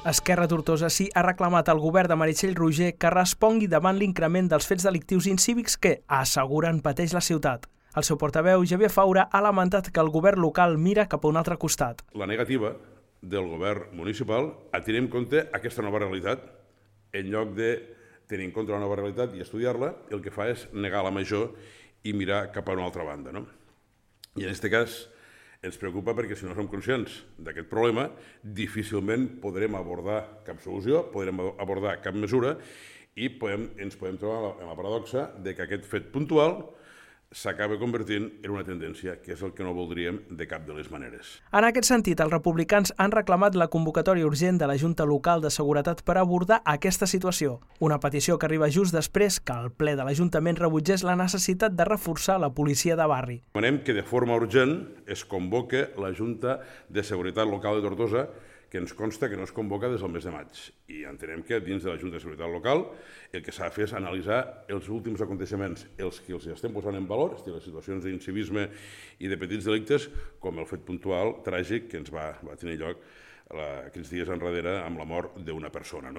Esquerra Tortosa sí ha reclamat al govern de Meritxell Roigé que respongui davant l'increment dels fets delictius incívics que, asseguren, pateix la ciutat. El seu portaveu, Xavier Faura, ha lamentat que el govern local mira cap a un altre costat. La negativa del govern municipal a tenir en compte aquesta nova realitat, en lloc de tenir en compte la nova realitat i estudiar-la, el que fa és negar la major i mirar cap a una altra banda. I en aquest cas ens preocupa perquè si no som conscients d'aquest problema, difícilment podrem abordar cap solució, podrem abordar cap mesura i ens podem trobar en la paradoxa de que aquest fet puntual s'acaba convertint en una tendència, que és el que no voldríem de cap de les maneres. En aquest sentit, els republicans han reclamat la convocatòria urgent de la Junta Local de Seguretat per abordar aquesta situació. Una petició que arriba just després que el ple de l'Ajuntament rebutgés la necessitat de reforçar la policia de barri. Demanem que de forma urgent es convoque la Junta de Seguretat Local de Tortosa, que ens consta que no es convoca des del mes de maig. I entenem que dins de la Junta de Seguretat Local el que s'ha de fer és analitzar els últims aconteixements, els que els estem posant en valor, les situacions d'incivisme i de petits delictes, com el fet puntual tràgic que ens va tenir lloc aquells dies enrere amb la mort d'una persona.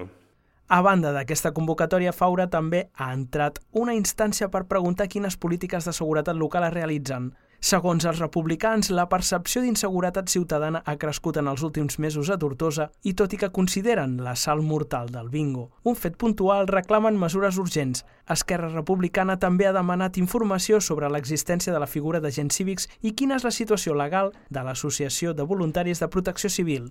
A banda d'aquesta convocatòria, Faura també ha entrat una instància per preguntar quines polítiques de seguretat local es realitzen. Segons els republicans, la percepció d'inseguretat ciutadana ha crescut en els últims mesos a Tortosa i tot i que consideren l'assalt mortal del bingo un fet puntual, reclamen mesures urgents. Esquerra Republicana també ha demanat informació sobre l'existència de la figura d'agents cívics i quina és la situació legal de l'Associació de Voluntaris de Protecció Civil.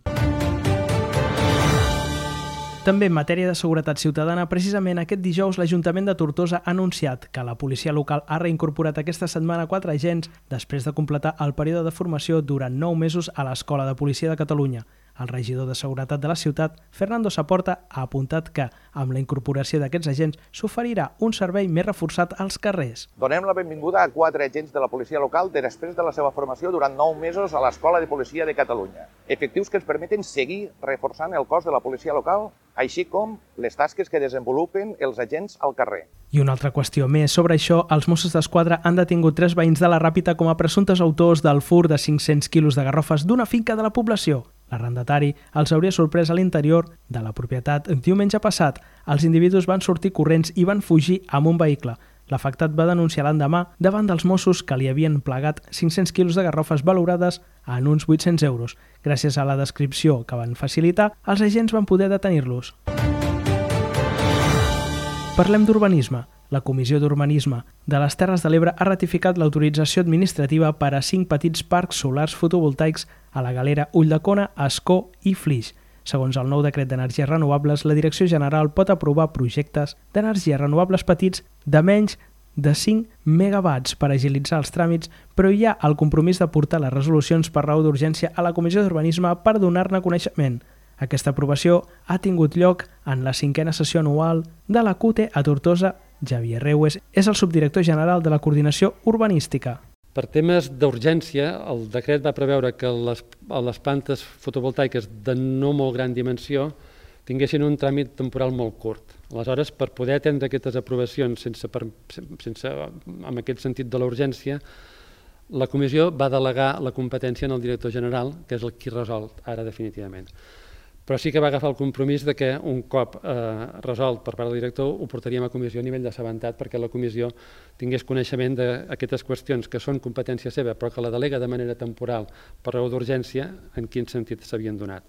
També en matèria de seguretat ciutadana, precisament aquest dijous l'Ajuntament de Tortosa ha anunciat que la policia local ha reincorporat aquesta setmana 4 agents després de completar el període de formació durant 9 mesos a l'Escola de Policia de Catalunya. El regidor de Seguretat de la ciutat, Fernando Saporta, ha apuntat que, amb la incorporació d'aquests agents, s'oferirà un servei més reforçat als carrers. Donem la benvinguda a 4 agents de la policia local després de la seva formació durant 9 mesos a l'Escola de Policia de Catalunya. Efectius que ens permeten seguir reforçant el cos de la policia local, així com les tasques que desenvolupen els agents al carrer. I una altra qüestió més. Sobre això, els Mossos d'Esquadra han detingut 3 veïns de la Ràpita com a presumptes autors del fur de 500 quilos de garrofes d'una finca de la població. L'arrendatari els hauria sorprès a l'interior de la propietat diumenge passat. Els individus van sortir corrents i van fugir amb un vehicle. L'afectat va denunciar l'endemà davant dels Mossos que li havien plegat 500 quilos de garrofes valorades en uns 800 euros. Gràcies a la descripció que van facilitar, els agents van poder detenir-los. Parlem d'urbanisme. La Comissió d'Urbanisme de les Terres de l'Ebre ha ratificat l'autorització administrativa per a 5 petits parcs solars fotovoltaics a la Galera, Ulldecona, Ascó i Flix. Segons el nou decret d'energies renovables, la Direcció General pot aprovar projectes d'energies renovables petits de menys de 5 megawatts per agilitzar els tràmits, però hi ha el compromís de portar les resolucions per raó d'urgència a la Comissió d'Urbanisme per donar-ne coneixement. Aquesta aprovació ha tingut lloc en la 5a sessió anual de la CUTE a Tortosa. Javier Reues és el subdirector general de la Coordinació Urbanística. Per temes d'urgència, el decret va preveure que les plantes fotovoltaiques de no molt gran dimensió tinguessin un tràmit temporal molt curt. Aleshores, per poder atendre aquestes aprovacions amb aquest sentit de la urgència, la comissió va delegar la competència en el director general, que és el qui resol ara definitivament. Però sí que va agafar el compromís de que un cop resolt per part del director ho portaríem a comissió a nivell d'assabentat perquè la comissió tingués coneixement d'aquestes qüestions que són competència seva però que la delega de manera temporal per raó d'urgència, en quin sentit s'havien donat.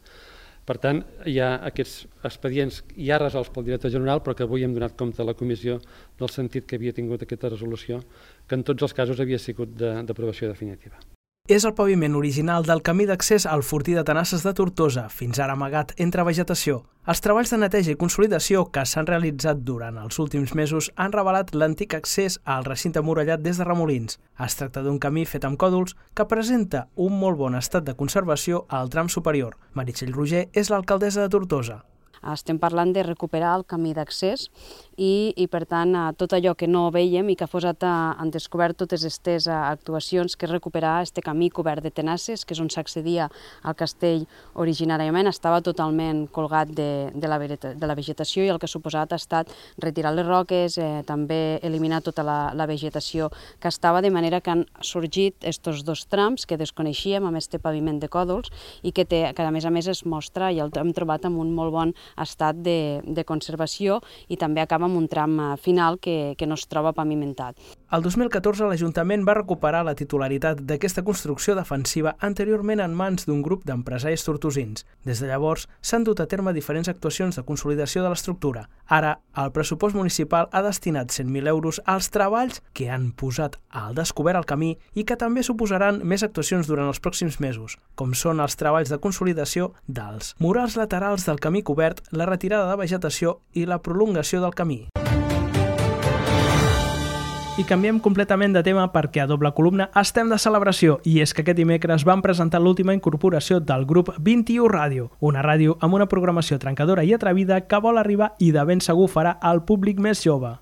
Per tant, hi ha aquests expedients ja resolts pel director general però que avui hem donat compte a la comissió del sentit que havia tingut aquesta resolució que en tots els casos havia sigut d'aprovació definitiva. És el paviment original del camí d'accés al Fortí de Tenasses de Tortosa, fins ara amagat entre vegetació. Els treballs de neteja i consolidació que s'han realitzat durant els últims mesos han revelat l'antic accés al recinte murallat des de Remolins. Es tracta d'un camí fet amb còdols que presenta un molt bon estat de conservació al tram superior. Meritxell Roigé és l'alcaldessa de Tortosa. Estem parlant de recuperar el camí d'accés i per tant, tot allò que no veiem i que ha posat en descobert totes aquestes actuacions, que és recuperar aquest camí cobert de tenasses, que és on s'accedia al castell originàriament, estava totalment colgat de la vegetació, i el que ha suposat ha estat retirar les roques, també eliminar tota la vegetació que estava, de manera que han sorgit aquests dos trams que desconeixíem amb aquest paviment de còdols i que a més es mostra i el hem trobat en un molt bon estat de conservació, i també acaba amb un tram final que no es troba pavimentat. El 2014 l'Ajuntament va recuperar la titularitat d'aquesta construcció defensiva anteriorment en mans d'un grup d'empresaris tortosins. Des de llavors s'han dut a terme diferents actuacions de consolidació de l'estructura. Ara, el pressupost municipal ha destinat 100.000 euros als treballs que han posat al descobert el camí i que també suposaran més actuacions durant els pròxims mesos, com són els treballs de consolidació dels murals laterals del camí cobert, la retirada de vegetació i la prolongació del camí. I canviem completament de tema perquè a Doble Columna estem de celebració, i és que aquest dimecres van presentar l'última incorporació del grup 21 Ràdio, una ràdio amb una programació trencadora i atrevida que vol arribar i de ben segur farà al públic més jove.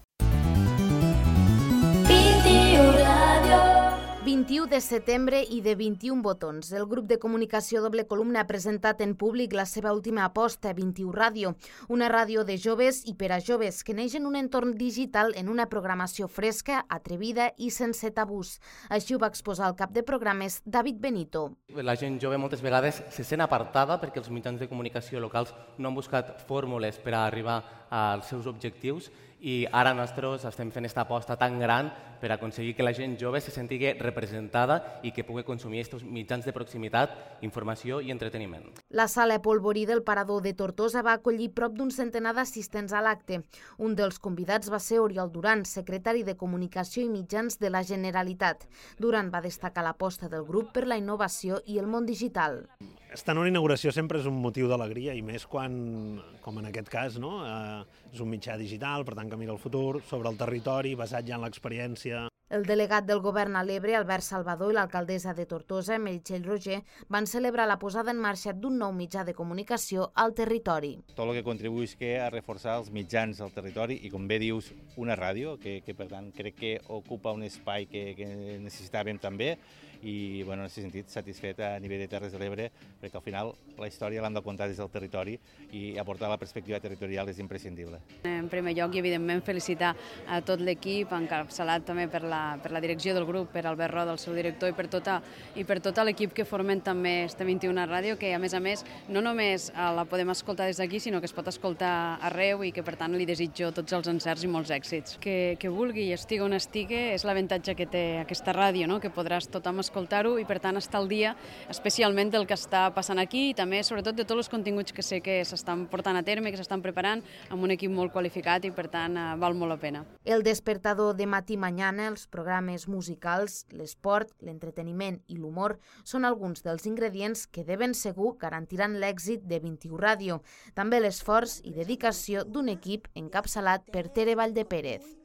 21 de setembre i de 21 botons. El grup de comunicació Doble Columna ha presentat en públic la seva última aposta, 21 Ràdio, una ràdio de joves i per a joves que neix en un entorn digital en una programació fresca, atrevida i sense tabús. Així ho va exposar el cap de programes, David Benito. La gent jove moltes vegades se sent apartada perquè els mitjans de comunicació locals no han buscat fórmules per a arribar als seus objectius, i ara nosaltres estem fent aquesta aposta tan gran per aconseguir que la gent jove se senti representada i que pugui consumir aquests mitjans de proximitat, informació i entreteniment. La sala Polvorí del Parador de Tortosa va acollir prop d'un centenar d'assistents a l'acte. Un dels convidats va ser Oriol Duran, secretari de Comunicació i Mitjans de la Generalitat. Duran va destacar l'aposta del grup per la innovació i el món digital. Estar en una inauguració sempre és un motiu d'alegria, i més quan, com en aquest cas, no? És un mitjà digital, per tant que mira el futur, sobre el territori, basat ja en l'experiència. El delegat del govern a l'Ebre, Albert Salvador, i l'alcaldessa de Tortosa, Meritxell Roger, van celebrar la posada en marxa d'un nou mitjà de comunicació al territori. Tot el que contribueix a reforçar els mitjans al territori i, com bé dius, una ràdio, que per tant crec que ocupa un espai que necessitàvem també, i en aquest sentit satisfet a nivell de Terres de l'Ebre, perquè al final la història l'hem de contar des del territori i aportar la perspectiva territorial és imprescindible. En primer lloc, i evidentment, felicitar a tot l'equip, encapçalat també per la direcció del grup, per Albert Roda, el seu director, i per tot l'equip que formen també este 21 Ràdio, que a més, no només la podem escoltar des d'aquí, sinó que es pot escoltar arreu, i que per tant li desitjo tots els encerts i molts èxits. Que vulgui i estigui on estigui és l'avantatge que té aquesta ràdio, no? Que podràs tothom escoltar-ho i per tant estar al dia especialment del que està passant aquí, i també sobretot de tots els continguts que sé que s'estan portant a terme, que s'estan preparant amb un equip molt qualificat, i per tant val molt la pena. El despertador de matí mañana, els programes musicals, l'esport, l'entreteniment i l'humor són alguns dels ingredients que de ben segur garantiran l'èxit de 21 Ràdio, també l'esforç i dedicació d'un equip encapçalat per Tere Valldepérez.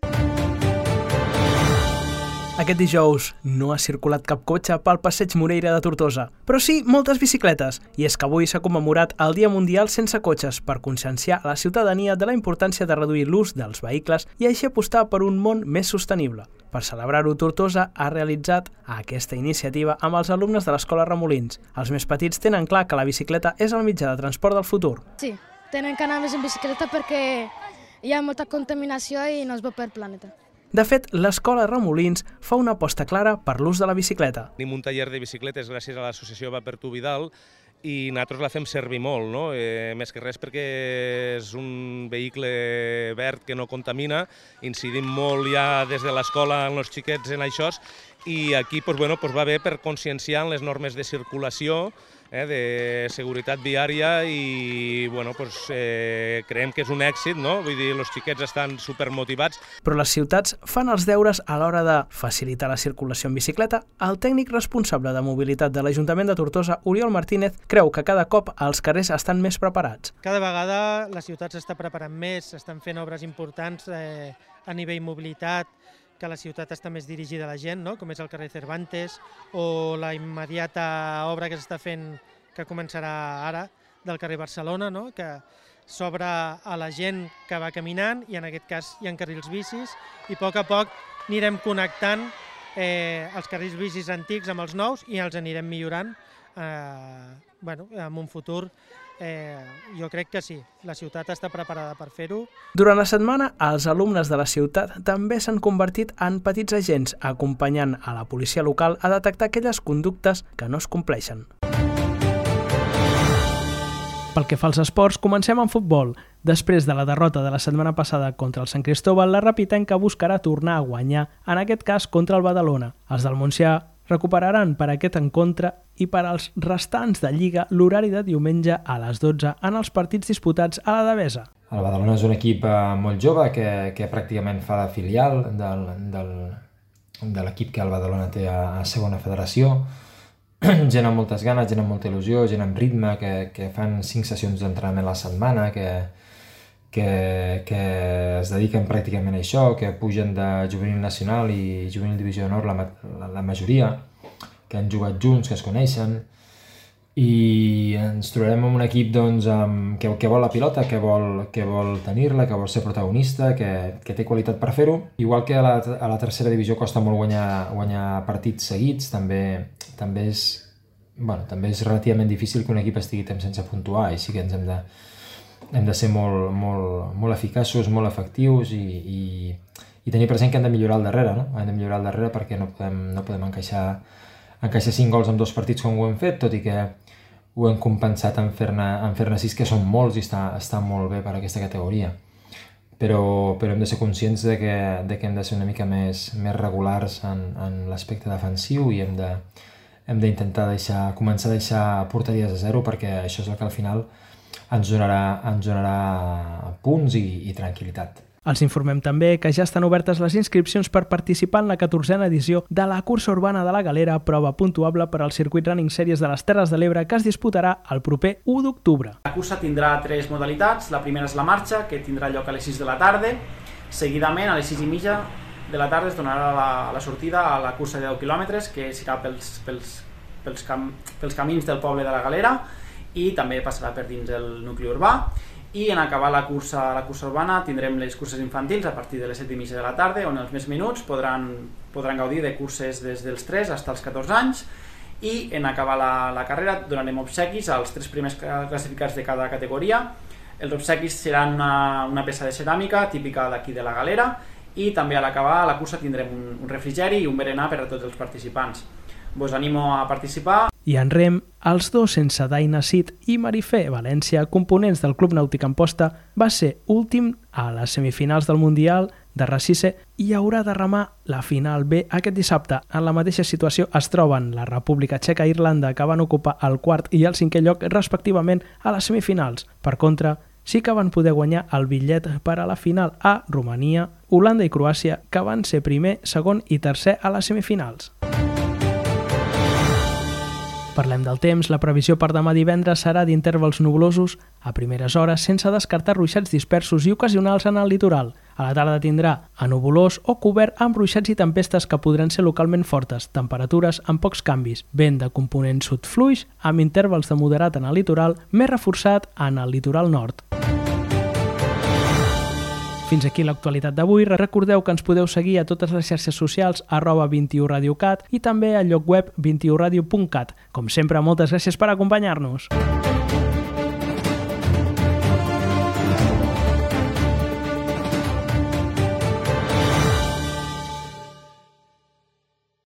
Aquest dijous no ha circulat cap cotxe pel passeig Moreira de Tortosa, però sí moltes bicicletes, i és que avui s'ha commemorat el Dia Mundial Sense Cotxes per conscienciar la ciutadania de la importància de reduir l'ús dels vehicles i així apostar per un món més sostenible. Per celebrar-ho, Tortosa ha realitzat aquesta iniciativa amb els alumnes de l'Escola Remolins. Els més petits tenen clar que la bicicleta és el mitjà de transport del futur. Sí, tenen que anar més en bicicleta perquè hi ha molta contaminació i no és bo per planeta. De fet, l'Escola Remolins fa una aposta clara per l'ús de la bicicleta. Tenim un taller de bicicletes gràcies a l'associació Va per tu Vidal, i nosaltres la fem servir molt, no? Més que res perquè és un vehicle verd que no contamina, incidim molt ja des de l'escola amb els xiquets en això, i aquí va bé per conscienciar en les normes de circulació, de seguretat viària, i creiem que és un èxit, no? Vull dir, els xiquets estan supermotivats. Però les ciutats fan els deures a l'hora de facilitar la circulació en bicicleta. El tècnic responsable de mobilitat de l'Ajuntament de Tortosa, Oriol Martínez, creu que cada cop els carrers estan més preparats. Cada vegada la ciutat s'està preparant més, s'estan fent obres importants a nivell mobilitat, que la ciutat està més dirigida a la gent, no? Com és el carrer Cervantes, o la immediata obra que s'està fent, que començarà ara, del carrer Barcelona, no? Que s'obre a la gent que va caminant i en aquest cas hi ha carrils bicis i a poc anirem connectant els carrils bicis antics amb els nous i els anirem millorant en un futur. Jo crec que sí, la ciutat està preparada per fer-ho. Durant la setmana, els alumnes de la ciutat també s'han convertit en petits agents, acompanyant a la policia local a detectar aquelles conductes que no es compleixen. Pel que fa als esports, comencem amb futbol. Després de la derrota de la setmana passada contra el Sant Cristóbal, la Rapitenca buscarà tornar a guanyar, en aquest cas contra el Badalona. Els del Montsià recuperaran per aquest encontre i per als restants de Lliga l'horari de diumenge a les 12 en els partits disputats a la Devesa. El Badalona és un equip molt jove que pràcticament fa de filial de l'equip que el Badalona té a segona federació. Gent amb moltes ganes, gent amb molta il·lusió, gent amb ritme, que fan 5 sessions d'entrenament a la setmana, que es dediquen pràcticament a això, que pugen de juvenil nacional i juvenil divisió d'honor la majoria, que han jugat junts, que es coneixen, i ens trobarem amb un equip que vol la pilota, que vol tenir-la, que vol ser protagonista, que té qualitat per fer-ho. Igual que a la tercera divisió costa molt guanyar partits seguits, també és relativament difícil que un equip estigui temps sense puntuar, i sí que ens hem de ser molt eficaços, molt efectius i tenir present que hem de millorar al darrere, no? Hem de millorar al darrere perquè no podem encaixar 5 gols en 2 partits com ho hem fet, tot i que ho hem compensat en fer-ne 6, que són molts i està molt bé per a aquesta categoria. Però hem de ser conscients de que hem de ser una mica més regulars en l'aspecte defensiu i hem d'intentar començar a deixar porteries a 0, perquè això és el que al final ens donarà punts i tranquil·litat. Els informem també que ja estan obertes les inscripcions per participar en la 14a edició de la cursa urbana de la Galera, prova puntuable per al circuit Running Series de les Terres de l'Ebre, que es disputarà el proper 1 d'octubre. La cursa tindrà 3 modalitats. La primera és la marxa, que tindrà lloc a les 6 de la tarda. Seguidament, a les 6:30 de la tarda es donarà la sortida a la cursa de 10 quilòmetres, que serà pels camins del poble de la Galera i també passarà per dins el nucli urbà. I en acabar la cursa urbana tindrem les curses infantils a partir de les 7:30 de la tarda, on els més menuts podran gaudir de curses des dels 3 fins als 14 anys, i en acabar la carrera donarem obsequis als 3 primers classificats de cada categoria. Els obsequis seran una peça de ceràmica típica d'aquí de la Galera, i també a l'acabar la cursa tindrem un refrigeri i un berenar per a tots els participants. Vos animo a participar. I en rem, els dos sense Daina Cid i Marifé València, components del Club Nàutic Amposta, va ser últim a les semifinals del Mundial de Racisse i haurà de remar la final B aquest dissabte. En la mateixa situació es troben la República Txeca i Irlanda, que van ocupar el 4è i el 5è lloc respectivament a les semifinals. Per contra, sí que van poder guanyar el bitllet per a la final a Romania, Holanda i Croàcia, que van ser primer, segon i tercer a les semifinals. Parlem del temps. La previsió per demà divendres serà d'intervals nuvolosos a primeres hores, sense descartar ruixats dispersos i ocasionals en el litoral. A la tarda tindrà anuvolós o cobert amb ruixats i tempestes que podran ser localment fortes, temperatures amb pocs canvis, vent de component sud fluix, amb intervals de moderat en el litoral, més reforçat en el litoral nord. Fins aquí l'actualitat d'avui. Recordeu que ens podeu seguir a totes les xarxes socials @21radiocat i també al lloc web 21radio.cat. Com sempre, moltes gràcies per acompanyar-nos.